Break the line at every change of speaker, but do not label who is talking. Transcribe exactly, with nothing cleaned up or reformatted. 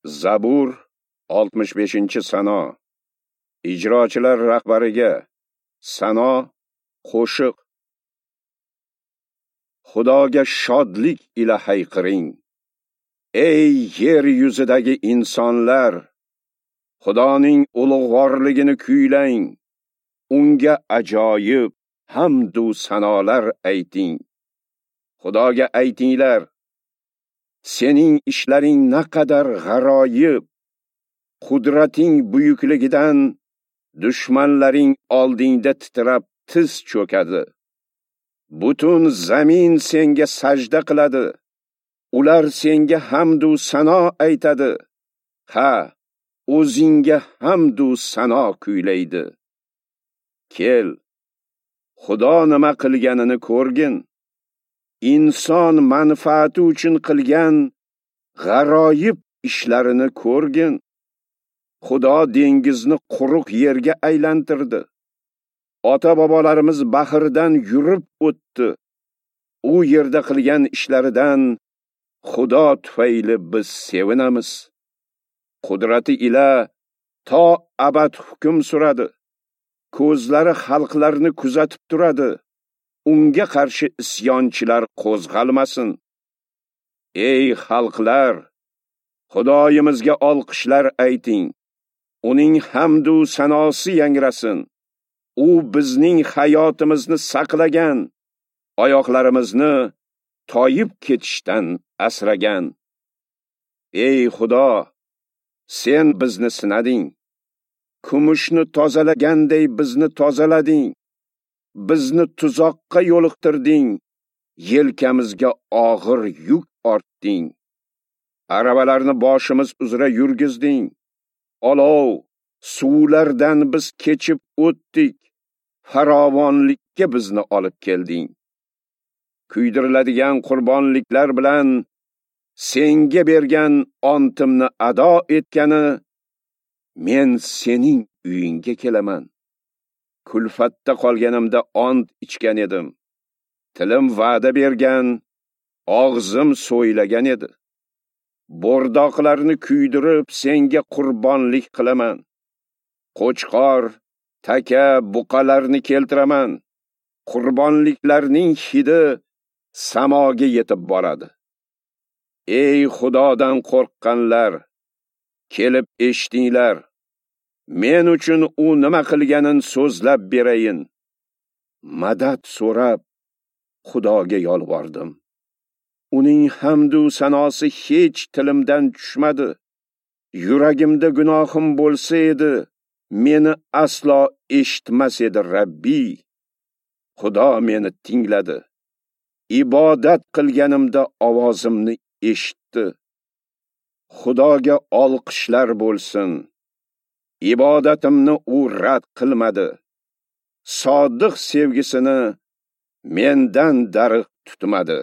Zabur oltmish beshinchi sano. Ijrochilar rahbariga sano, qo'shiq. Xudoga shodlik ila hayqiring. Ey yer yuzidagi insonlar, Xudoning ulug'vorligini kuylang, unga ajoyib hamd u sanolar ayting. Xudoga aytinglar, sening ishlaring naqadar g'aroyib, qudrating buyukligidan dushmanlaring oldingda titrab tiz cho'kadi. Butun zamin senga sajda qiladi. Ular senga hamd u sano aytadi. Ha, o'zingga hamd u sano kuylaydi. Kel, Xudo nima qilganini ko'rgin. Inson manfaati uchun qilgan g'aroyib ishlarini ko'rgin. Xudo dengizni quruq yerga aylantirdi. Ota-bobolarimiz bahrdan yurib o'tdi. U yerda qilgan ishlaridan Xudo tufayli biz sevinamiz. Qudrati ila to abad hukm suradi. Ko'zlari xalqlarni kuzatib turadi. Unga qarshi isyonchilar qo'zg'almasin. Ey xalqlar, Xudoyimizga olqishlar ayting. Uning hamd u sanosi yangrasin. U bizning hayotimizni saqlagan, oyoqlarimizni toyib ketishdan asragan. Ey Xudo, sen bizni sinading. Kumushni tozalaganday bizni tozalading. Bizni tuzoqqa yo'liqtirding, yelkamizga og'ir yuk ortding. Aravalarni boshimiz uzra yurgizding. Olov, suvlardan biz kechib o'tdik. Farovonlikka bizni olib kelding. Kuydiriladigan qurbonliklar bilan senga bergan ontimni ado etgani men sening uyingga kelaman. Kulfatda qolganimda ont ichgan edim. Tilim va'da bergan, og'zim so'ylagan edi. Bo'rdoqlarni kuydirib senga qurbonlik qilaman. Qo'chqor, taka, buqalarni keltiraman. Qurbonliklarning hidi samoga yetib boradi. Ey Xudodan qo'rqqanlar, kelib eshitinglar. Men uchun u nima qilganin so'zlab berayin. Madad so'rab Xudoga yolvordim. Uning hamd u sanosi hech tilimdan tushmadi. Yuragimda gunohim bo'lsa edi, meni aslo eshitmas edi Rabbiy. Xudo meni tingladi. Ibodat qilganimda ovozimni eshitdi. Xudoga olqishlar bo'lsin. Ibodatimni u rad qilmadi. Sodiq sevgisini mendan darig' tutmadi.